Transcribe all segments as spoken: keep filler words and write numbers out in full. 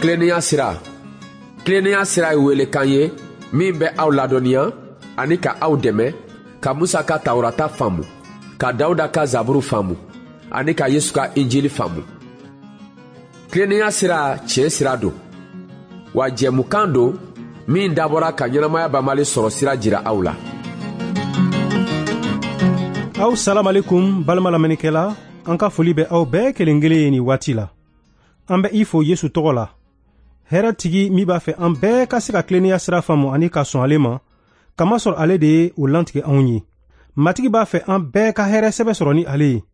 Tilennenya sira. Tilennenya sira ye welekan ye min bɛ aw ladɔnniya ani ka aw dɛmɛ ka Musa ka Tawurata faamu, ka Dawuda ka Zaburu faamu, ani ka Yesu ka Injili faamu. Tilennenya sira tiɲɛ sira don, wa jɛmukan don min dabɔra ka ɲɛnamaya banbali sɔrɔ sira jira aw la. Aw salam alaikum balima lamɛnnikɛla, an ka foli bɛ aw bɛɛ kelen kelen ye nin waati la. An bɛ i fo Yesu tɔgɔ la. Hɛrɛ tigi min b'a fɛ an bɛɛ ka se ka tilennenya sira faamu ani ka sɔn ale ma, kamasɔrɔ ale de ye o lantigɛ anw ye. Matigi b'a fɛ an bɛɛ ka hɛrɛ sɛbɛ sɔrɔ ni ale ye.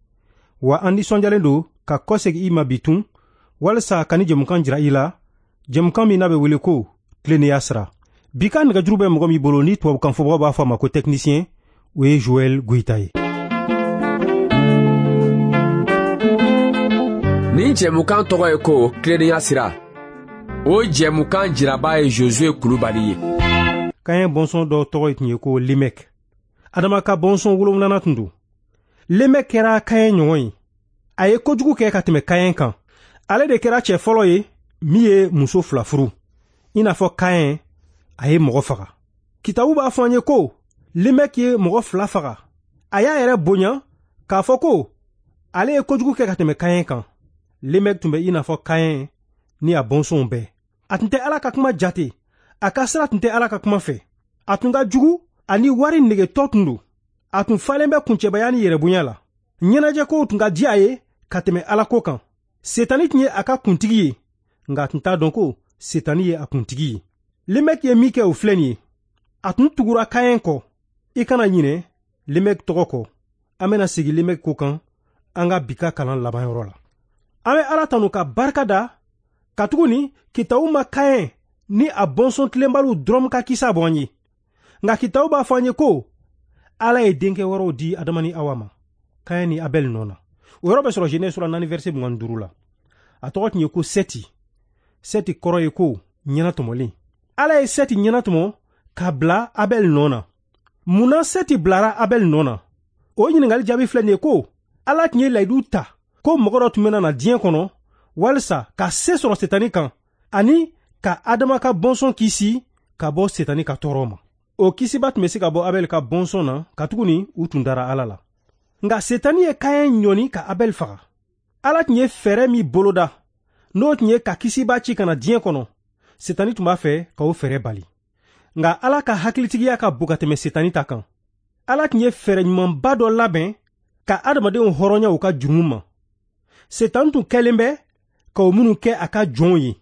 Wa an nisɔndiyalen don ka kɔsegin i ma bi tun, walisa ka ni jɛmukan jira i la, jɛmukan min n'a bɛ wele ko tilennenya sira. Bi ka nɛgɛjuru bɛ mɔgɔ min bolo ni tubabukan fɔbagaw b'a fɔ a ma ko technicien, o ye Joël Goïta ye. Nin jɛmukan tɔgɔ ye ko tilennenya sira. O jɛmukan jiraba ye Josué Kulubali ye. Kaɲɛ bɔnsɔn dɔ tɔgɔ tun ye ko Lemɛk. Adama ka bɔnsɔn wolonwulanan tun don. Lemɛk kɛra Kaɲɛ ɲɔgɔn ye. A ye kojugu kɛ ka tɛmɛ Kaɲɛ kan. Ale de kɛra cɛ fɔlɔ ye min ye muso fila furu. I n'a fɔ Kaɲɛ, a ye mɔgɔ faga. Kitabu b'a fɔ an ye ko Lemɛk ye mɔgɔ fila faga. A y'a yɛrɛ bonya k'a fɔ ko ale ye kojugu kɛ ka tɛmɛ Kaɲɛ kan. Lemɛk tun bɛ i n'a fɔ Kaɲɛ ni a bɔnsɔnw bɛɛ. A tun tɛ Ala ka kuma jate, a ka sira tun tɛ Ala ka kuma fɛ. A tun ka jugu ani wari negetɔ tun don. A tun falen bɛ kuncɛbaya ni yɛrɛbonya la. Ɲɛnajɛkow tun ka di a ye ka tɛmɛ Ala ko kan. Setani tun ye a ka kuntigi ye, nka a tun t'a dɔn ko Setani ye a kuntigi ye. Lemɛk ye min kɛ o filɛ nin ye. A tun tugura Kaɲɛ kɔ. I kana ɲinɛ Lemɛk tɔgɔ kɔ. An bɛna segin Lemɛk ko kan an ka bi ka kalan labanyɔrɔ la. An bɛ Ala tanu ka barika da, katuguni kitabu ma Kaɲɛ ni a bɔnsɔn tilenbaliw dɔrɔn ka kisa bɔ an ye. Nka kitabu b'a fɔ an ye ko Ala ye denkɛ wɛrɛw di Adama ni Awa ma, Kaɲɛ ni Abɛl nɔ na. O yɔrɔ bɛ sɔrɔ Genèse sura naani verset mugan ni duuru la. A tɔgɔ tun ye ko Sɛti. Sɛti kɔrɔ ye ko ɲɛnatɔmɔlen. Ala ye Sɛti ɲɛnatɔmɔ ka bila Abɛl nɔ na. Munna Sɛti bilara Abɛl nɔ na? O ɲininkali jaabi filɛ nin ye ko Ala tun ye layidu ta ko mɔgɔ dɔ tun bɛna na diɲɛ kɔnɔ walisa ka se sɔrɔ Setani kan ani ka Adama ka bɔnsɔn kisi ka bɔ Setani ka tɔɔrɔ ma. O kisiba tun bɛ se ka bɔ Abɛl ka bɔnsɔn na, katuguni u tun dara Ala la. Nka Setani ye Kaɲɛ ɲɔni ka Abɛl faga. Ala tun ye fɛɛrɛ min boloda, n'o tun ye ka kisiba ci ka na diɲɛ kɔnɔ, Setani tun b'a fɛ ka o fɛɛrɛ bali. Nka Ala ka hakilitigiya ka bon ka tɛmɛ Setani ta kan. Ala tun ye fɛɛrɛ ɲumanba dɔ labɛn ka adamadenw hɔrɔnya u ka jurumu ma. Setani tun kɛlen bɛ ka o minnu kɛ a ka jɔnw ye.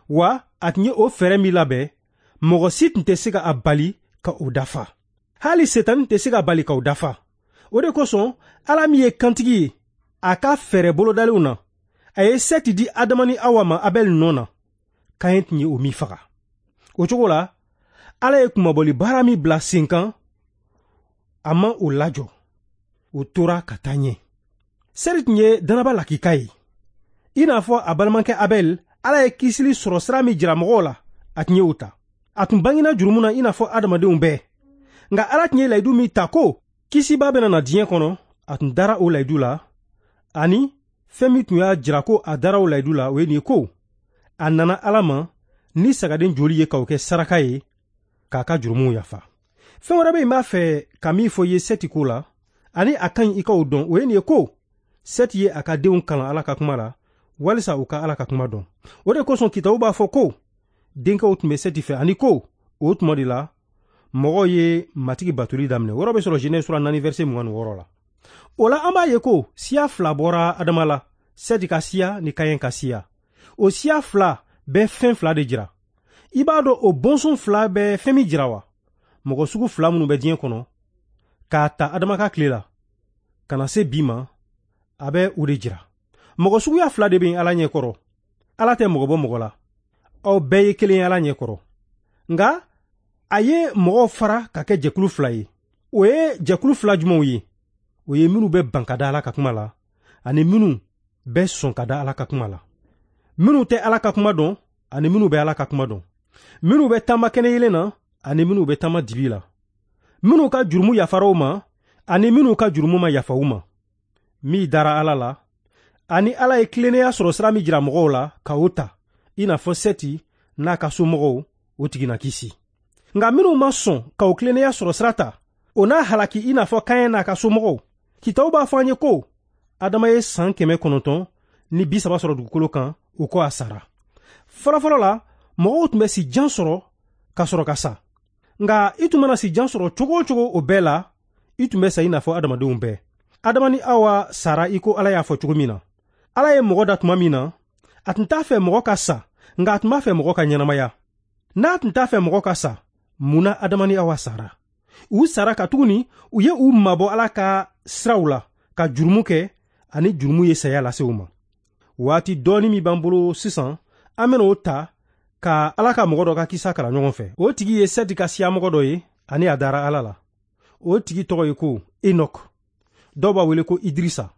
Wa a tun ye o fɛɛrɛ min labɛn, mɔgɔ si tun tɛ se ka a bali ka o dafa. Hali Setani tɛ se ka bali ka o dafa. O de kosɔn Ala min ye kantigi ye, a ka fɛɛrɛ bolodalenw na, a ye Sɛti di Adama ni Awa ma Abɛl nɔ na. Kaɲɛ tun ye o min faga. O cogo la, Ala ye kunmabɔli baara min bila sen kan, a ma o lajɔ. O tora ka taa ɲɛ. Sɛti tun ye danaba lakika ye. I n'a fɔ a balimakɛ Abɛl, Ala ye kisili sɔrɔ sira min jira mɔgɔw la, a tun ye o ta. A tun bangena jurumu na i n'a fɔ adamadenw bɛɛ. Nka Ala tun ye layidu min ta ko kisiba bɛna na diɲɛ kɔnɔ, a tun dara o layidu la, ani fɛn min tun y'a jira ko a dara o layidu la, o ye nin ye ko a nana Ala ma ni sagaden joli ye k'o kɛ saraka ye k'a ka jurumuw yafa. Fɛn wɛrɛ bɛ yen n b'a fɛ ka min fɔ i ye Sɛti ko la, ani a ka ɲi i ka o dɔn, o ye nin ye ko Sɛti ye a ka denw kalan Ala ka kuma la, walisa u ka Ala ka kuma dɔn. O de kosɔn kitabu b'a fɔ ko denkɛw tun bɛ Sɛti fɛ, ani ko o tuma de la mɔgɔw ye Matigi batoli daminɛ. O yɔrɔ bɛ sɔrɔ Genèse sura naani verset mugan ni wɔɔrɔ la. O la an b'a ye ko siya fila bɔra Adama la, Sɛti ka siya ni Kaɲɛ ka siya. O siya fila bɛ fɛn fila de jira. I b'a dɔn o bɔnsɔn fila bɛ fɛn min jira wa? Mɔgɔ sugu fila minnu bɛ diɲɛ kɔnɔ, k'a ta Adama ka tile la ka na se bi ma, a bɛ o de jira. Mɔgɔ suguya fila de bɛ yen Ala ɲɛkɔrɔ. Ala tɛ mɔgɔ bɔ mɔgɔ la. Aw bɛɛ ye kelen ye Ala ɲɛkɔrɔ. Nka a ye mɔgɔw fara ka kɛ jɛkulu fila ye. O ye jɛkulu fila jumɛnw ye? O ye minnu bɛ ban ka da Ala ka kuma la, ani minnu bɛ sɔn ka da Ala ka kuma la. Minnu tɛ Ala ka kuma dɔn, ani minnu bɛ Ala ka kuma dɔn. Minnu bɛ taama kɛnɛ yelen na, ani minnu bɛ taama dibi la. Minnu ka jurumu yafara u ma, ani minnu ka jurumu ma yafa u ma. Min dara Ala la, ani Ala ye tilennenya sɔrɔ sira min jira mɔgɔw la ka o ta, i n'a fɔ Sɛti n'a ka somɔgɔw, o tigi na kisi. Nka minnu ma sɔn ka o tilennenya sɔrɔ sira ta, o n'a halaki i n'a fɔ Kaɲɛ n'a ka somɔgɔw. Kitabu b'a fɔ an ye ko Adama ye san kɛmɛ kɔnɔntɔn ni bi saba sɔrɔ dugukolo kan, o kɔ a sara. Fɔlɔfɔlɔ la, mɔgɔw tun bɛ si jan sɔrɔ ka sɔrɔ ka sa. Nka i tun mana si jan sɔrɔ cogo o cogo o bɛɛ la, i tun bɛ sa i n'a fɔ adamadenw bɛɛ. Adama ni Awa sara i ko Ala y'a fɔ cogo min na. Ala ye mɔgɔ da tuma min na, a tun t'a fɛ mɔgɔ ka sa, nka a tun b'a fɛ mɔgɔ ka ɲɛnamaya. N'a tun t'a fɛ mɔgɔ ka sa, mun na Adama ni Awa sara? U sara katuguni u ye u mabɔ Ala ka siraw la ka jurumu kɛ, ani jurumu ye saya lase u ma. Waati dɔɔni min b'an bolo sisan, an bɛna o ta ka Ala ka mɔgɔ dɔ ka kisa kalan ɲɔgɔn fɛ. O tigi ye Sɛti ka siyamɔgɔ dɔ ye, ani a dara Ala la. O tigi tɔgɔ ye ko Enɔk. Dɔw b'a wele ko Idirisa.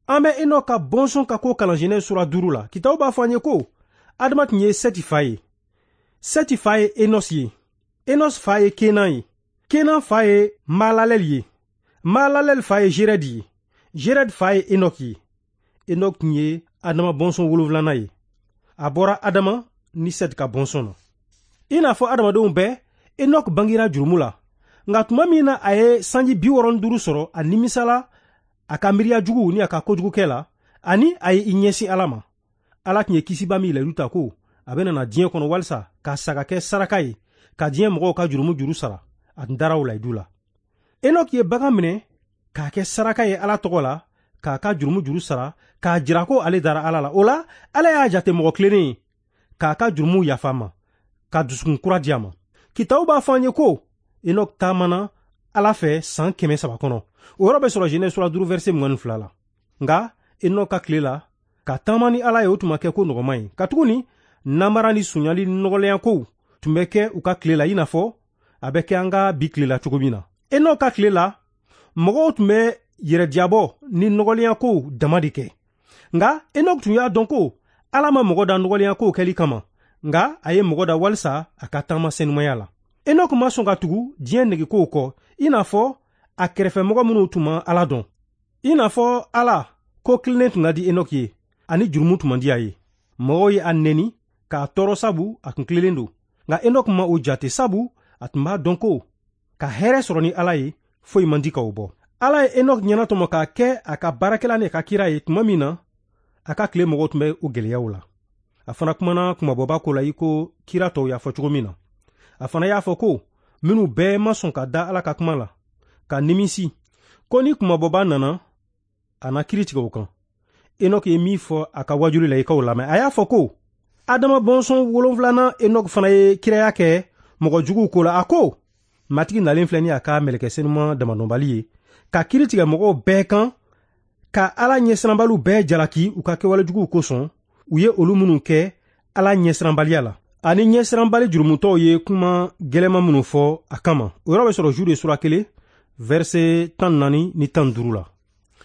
An bɛ Enɔk ka bɔnsɔn ka ko kalan Genèse sura duuru la. Kitabu b'a fɔ an ye ko Adama tun ye Sɛti fa ye. Sɛti fa ye Enos ye. Enos fa ye Kenan ye. Kenan fa ye Malalel ye. Malalel fa ye Jerɛd ye. Jerɛd fa ye Enɔk ye. Enɔk tun ye Adama bɔnsɔn wolonwulanan ye. A bɔra Adama ni Sɛti ka bɔnsɔn na. I n'a fɔ adamadenw bɛɛ, Enɔk bangera jurumu la. Nka tuma min na a ye sanji bi wɔɔrɔ ni duuru sɔrɔ, a nimisala a ka miiriya jugu ni a ka kojugukɛ la, ani a ye i ɲɛsin Ala ma. Ala tun ye kisiba min layidu ta ko a bɛna na diɲɛ kɔnɔ walisa ka sa ka kɛ saraka ye, ka diɲɛ mɔgɔw ka jurumu juru sara, a tun dara o layidu la. Enɔk ye bagan minɛ k'a kɛ saraka ye Ala tɔgɔ la, k'a ka jurumu juru sara, k'a jira ko ale dara Ala la. O la, Ala y'a jate mɔgɔ tilennen ye, k'a ka jurumu yafa ma, ka dusukun kura di a ma. Kitabu b'a fɔ an ye ko Enɔk taamana Ala fɛ san kɛmɛ saba kɔnɔ. O yɔrɔ bɛ sɔrɔ Genèse sura duuru verset mugan ni fila la. Nka Enɔk ka tile la, ka taama ni Ala ye, o tun ma kɛ ko nɔgɔman ye. Katuguni namara ni sonyali ni nɔgɔlenya kow tun bɛ kɛ u ka tile la, i n'a fɔ a bɛ kɛ an ka bi tile la cogo min na. Enɔk ka tile la, mɔgɔw tun bɛ yɛrɛdiyabɔ ni nɔgɔlenya kow dama de kɛ. Nka Enɔk tun y'a dɔn ko Ala ma mɔgɔ da nɔgɔlenya kow kɛli kama, nka a ye mɔgɔ da walisa a ka taama senumaya la. Enɔk ma sɔn ka tugu diɲɛ negekow kɔ, i n'a fɔ a kɛrɛfɛmɔgɔ minnu tun ma Ala dɔn. I n'a fɔ Ala ko tilennen tun ka di Enɔk ye, ani jurumu tun man di a ye. Mɔgɔw ye a neni k'a tɔɔrɔ sabu a tun tilennen don. Nka Enɔk ma o jate sabu a tun b'a dɔn ko ka hɛrɛ sɔrɔ ni Ala ye, foyi man di ka o bɔ. Ala ye Enɔk ɲɛnatɔmɔ k'a kɛ a ka baarakɛla ni a ka kira ye tuma min na, a ka tile mɔgɔw tun bɛ o gɛlɛyaw la. A fana kumana kumabɔba ko la i ko kira tɔw y'a fɔ cogo min na. A fana y'a fɔ ko minnu bɛɛ ma sɔn ka da Ala ka kuma la, ka nimisi, ko ni kumabɔba nana, a na kiiri tigɛ o kan. Enɔk ye min fɔ a ka wajuli la, i k'o lamɛn. A y'a fɔ ko Adama bɔnsɔn wolonwulanan Enɔk fana ye kiraya kɛ mɔgɔ juguw ko la. A ko Matigi nalen filɛ ni a ka mɛlɛkɛ senuman damadɔnbali ye, ka kiiri tigɛ mɔgɔw bɛɛ kan, ka Ala ɲɛsiranbaliw bɛɛ jalaki u ka kɛwale juguw kosɔn, u ye olu minnu kɛ Ala ɲɛsiranbaliya la, ani ɲɛsiranbali jurumutɔw ye kuma gɛlɛman minnu fɔ a kama. O yɔrɔ bɛ sɔrɔ Jude sura kelen verset tan naani ni tan duuru la.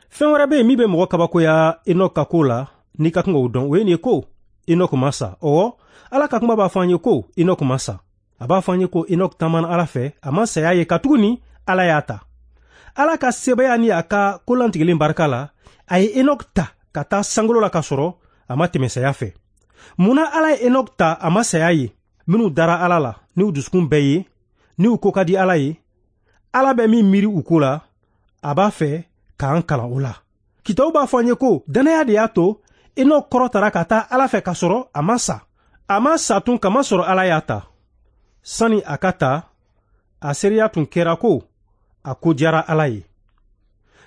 Fɛn wɛrɛ bɛ yen min bɛ mɔgɔ kabakoya Enɔk ka ko la, n'i ka kan k'o dɔn, o ye nin ye ko Enɔk ma sa. Ɔwɔ, Ala ka kuma b'a fɔ an ye ko Enɔk ma sa. A b'a fɔ an ye ko Enɔk taamana Ala fɛ, a ma saya ye katuguni Ala y'a ta. Ala ka sebaaya ni a ka kolantigɛlen barika la, a ye Enɔk ta ka taa sankolo la k'a sɔrɔ a ma tɛmɛ saya fɛ. Mun na Ala ye Enɔk ta a ma saya ye? Minnu dara Ala la n'u dusukun bɛɛ ye, n'u ko ka di Ala ye, Ala bɛ min miiri u ko la, a b'a fɛ k'an kalan o la. Kitabu b'a fɔ an ye ko dannaya de y'a to Enɔk kɔrɔtara ka taa Ala fɛ k'a sɔrɔ a ma sa. A ma sa tun kamasɔrɔ Ala y'a ta. Sani a ka ta, a seereya tun kɛra ko a ko diyara Ala ye.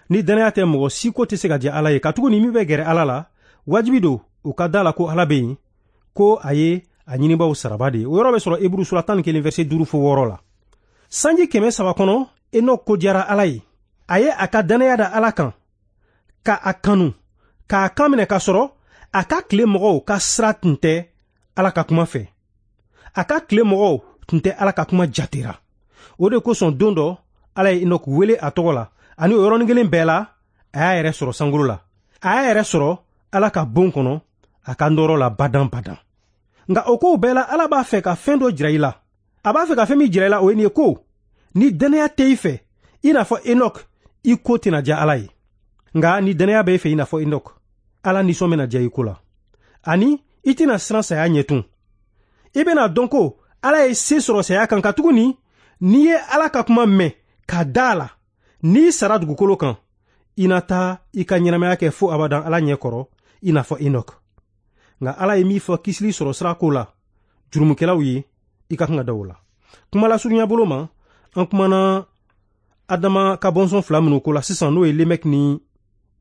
Ni dannaya tɛ, mɔgɔ si ko tɛ se ka diya Ala ye, katuguni min bɛ gɛrɛ Ala la, wajibi don u ka da la ko Ala bɛ yen, ko a ye a ɲinibaw saraba de ye. O yɔrɔ bɛ sɔrɔ Eburu sura tan ni kelen verset duuru fo wɔɔrɔ la. Sanji kɛmɛ saba kɔnɔ, Enɔk ko diyara Ala ye. A ye a ka dannaya da Ala kan, ka a kanu, k'a kan minɛ k'a sɔrɔ a ka tile mɔgɔw ka sira tun tɛ Ala ka kuma fɛ. A ka tile mɔgɔw tun tɛ Ala ka kuma jatera. O de kosɔn don dɔ, Ala ye Enɔk wele a tɔgɔ la, ani o yɔrɔnin kelen bɛɛ la, a y'a yɛrɛ sɔrɔ sankolo la. A y'a yɛrɛ sɔrɔ Ala ka bon kɔnɔ, a ka nɔrɔ la badan badan. Nka o kow bɛɛ la, Ala b'a fɛ ka fɛn dɔ jira i la. A b'a fɛ ka fɛn min jira i la, o ye nin ye ko ni dannaya tɛ i fɛ, i n'a fɔ Enɔk, i ko tɛna diya Ala ye. Nka ni dannaya bɛ i fɛ i n'a fɔ Enɔk, Ala nisɔn bɛna diya i ko la, ani I tɛna siran saya ɲɛ tun. I bɛna dɔn ko Ala ye se sɔrɔ saya kan, katuguni n'i ye Ala ka kuma mɛn ka da a la, n'i sara dugukolo kan, i na taa i ka ɲɛnamaya kɛ fo abadan Ala ɲɛ kɔrɔ, i n'a fɔ Enoch. Nka Ala ye min fɔ kisili sɔrɔ sira ko la jurumukɛlaw ye, i ka kan ka da o la. Kuma lasurunya bolo ma, an kumana Adama ka bɔnsɔn fila minnu ko la sisan, n'o ye Lemɛk ni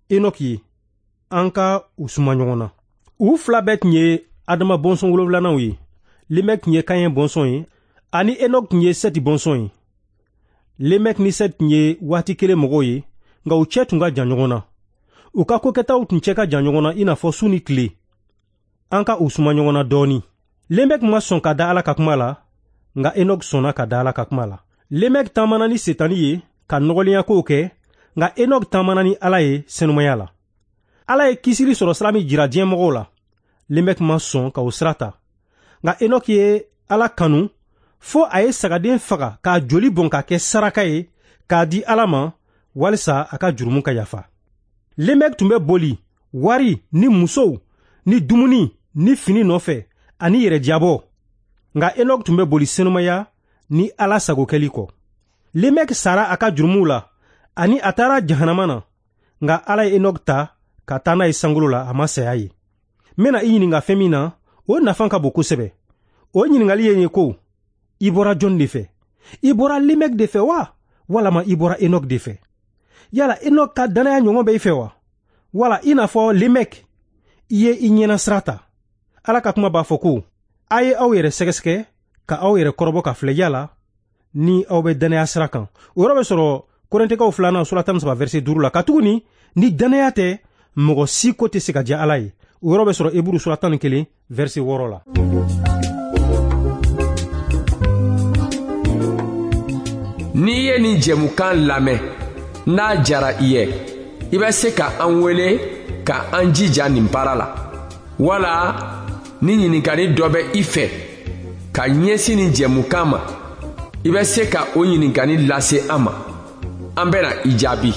Enoch ye, an ka u suma ɲɔgɔn na. U fila bɛɛ tun ye Adama bɔnsɔn wolonfilananw ye. Lemɛk tun ye Kaɲɛ bɔnsɔn ye, ani Enoch tun ye Sɛti bɔnsɔn ye. Lemɛk ni Sɛti tun ye waati kelen mɔgɔw ye, nka u cɛ tun ka jan ɲɔgɔn na. U ka kokɛtaw tun cɛ ka jan ɲɔgɔn na i n'a fɔ su ni tile. An ka u suma ɲɔgɔn na dɔɔni. Lemɛk ma sɔn ka da Ala ka kuma la, nka Enoch sɔnna ka da Ala ka kuma la. Lemɛk taamana ni Setani ye ka nɔgɔlenya kow kɛ, nka Enoch taamana ni Ala ye senumaya la. Ala ye kisili sɔrɔ sira min jira diɲɛ mɔgɔw la, Lemɛk ma sɔn ka o sira ta. Nka Enoch ye Ala kanu fo a ye sagaden faga k'a joli bɔn k'a kɛ saraka ye k'a di Ala ma walisa a ka jurumu ka yafa. Lemɛk tun bɛ boli wari ni musow ni dumuni ni fini nɔfɛ ani yɛrɛdiyabɔ, nka Enoch tun bɛ boli senumaya ni Ala sagokɛli kɔ. Lemɛk sara a ka jurumuw la ani a taara jahanama na, nka Ala ye Enoch ta ka taa n'a ye sankolo la, a ma saya ye. N bɛna i ɲininka fɛn min na, o nafa ka bon kosɛbɛ. O ɲininkali ye nin ko: i bɔra jɔn de fɛ? I bɔra Lemɛk de fɛ wa, walama i bɔra Enoch de fɛ? Yala Enoch ka dannaya ɲɔgɔn bɛ i fɛ wa, wala i n'a fɔ Lemɛk, i ye i ɲɛna sira ta? Ala ka kuma b'a fɔ ko: a ye aw yɛrɛ sɛgɛsɛgɛ ka aw yɛrɛ kɔrɔbɔ ka filɛ yala ni aw bɛ dannaya sira kan. O yɔrɔ bɛ sɔrɔ Korintɛkaw filanan sura tan ni saba verset duuru la. Katuguni ni dannaya tɛ, mɔgɔ si ko tɛ se ka diya Ala ye. O yɔrɔ bɛ sɔrɔ Eburu sura tan ni kelen verset wɔɔrɔ la. N'i ye nin jɛmukan lamɛn, n'a diyara i ye, i bɛ se ka an wele ka an jija nin baara la, wala ni ɲininkali dɔ bɛ i fɛ ka ɲɛsin nin jɛmukan ma, i bɛ se ka o ɲininkali lase an ma. An bɛna i jaabi.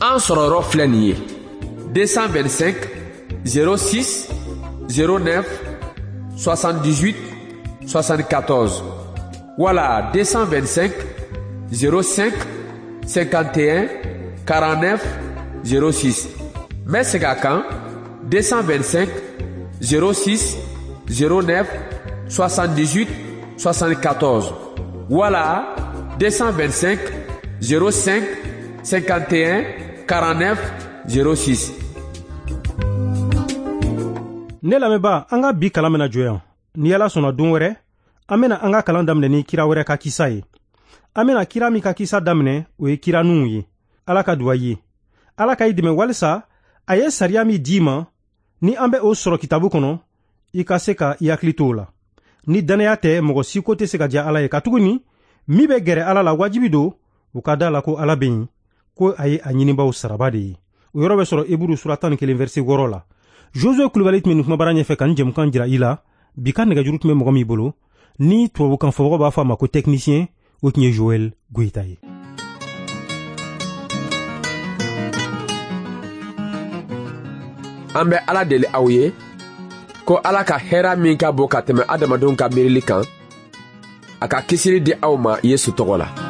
An sɔrɔyɔrɔ filɛ nin ye: deux cent vingt-cinq zéro six zéro neuf soixante-dix-huit soixante-quatorze wala deux cent vingt-cinq zéro cinq cinquante et un quarante-neuf zéro six. N bɛ segin a kan: deux cent vingt-cinq zéro six zéro neuf soixante-dix-huit soixante-quatorze wala deux cent vingt-cinq zéro cinq cinquante et un quarante-neuf zéro six. Ne lamɛnba, an ka bi kalan bɛna jɔ yan. Ni Ala sɔnna don wɛrɛ, an bɛna an ka kalan daminɛ ni kira wɛrɛ ka kisa ye. An bɛna kira min ka kisa daminɛ, o ye kira Nuhu ye. Ala ka duwa ye. Ala ka i dɛmɛ walisa a ye sariya min d'i ma, ni an bɛ o sɔrɔ kitabu kɔnɔ, i ka se ka i hakili to o la. Ni dannaya tɛ, mɔgɔ si ko tɛ se ka diya Ala ye, katuguni min bɛ gɛrɛ Ala la wajibi don u ka da la ko Ala bɛ yen, ko a ye a ɲinibaw saraba de ye. O yɔrɔ bɛ sɔrɔ Eburu sura tan ni kelen verset wɔɔrɔ la. Josue Kulubali tun bɛ nin kumabara ɲɛfɛ ka nin jɛmukan jira i la. Bi ka nɛgɛjuru tun bɛ mɔgɔ min bolo, ni tubabukan fɔbagaw b'a fɔ a ma ko technicien, o tun ye Joël Goyita ye. An bɛ Ala deli aw ye ko Ala ka hɛrɛ min ka bon ka tɛmɛ adamadenw ka miirili kan, a ka kisili di aw ma Yesu tɔgɔ la.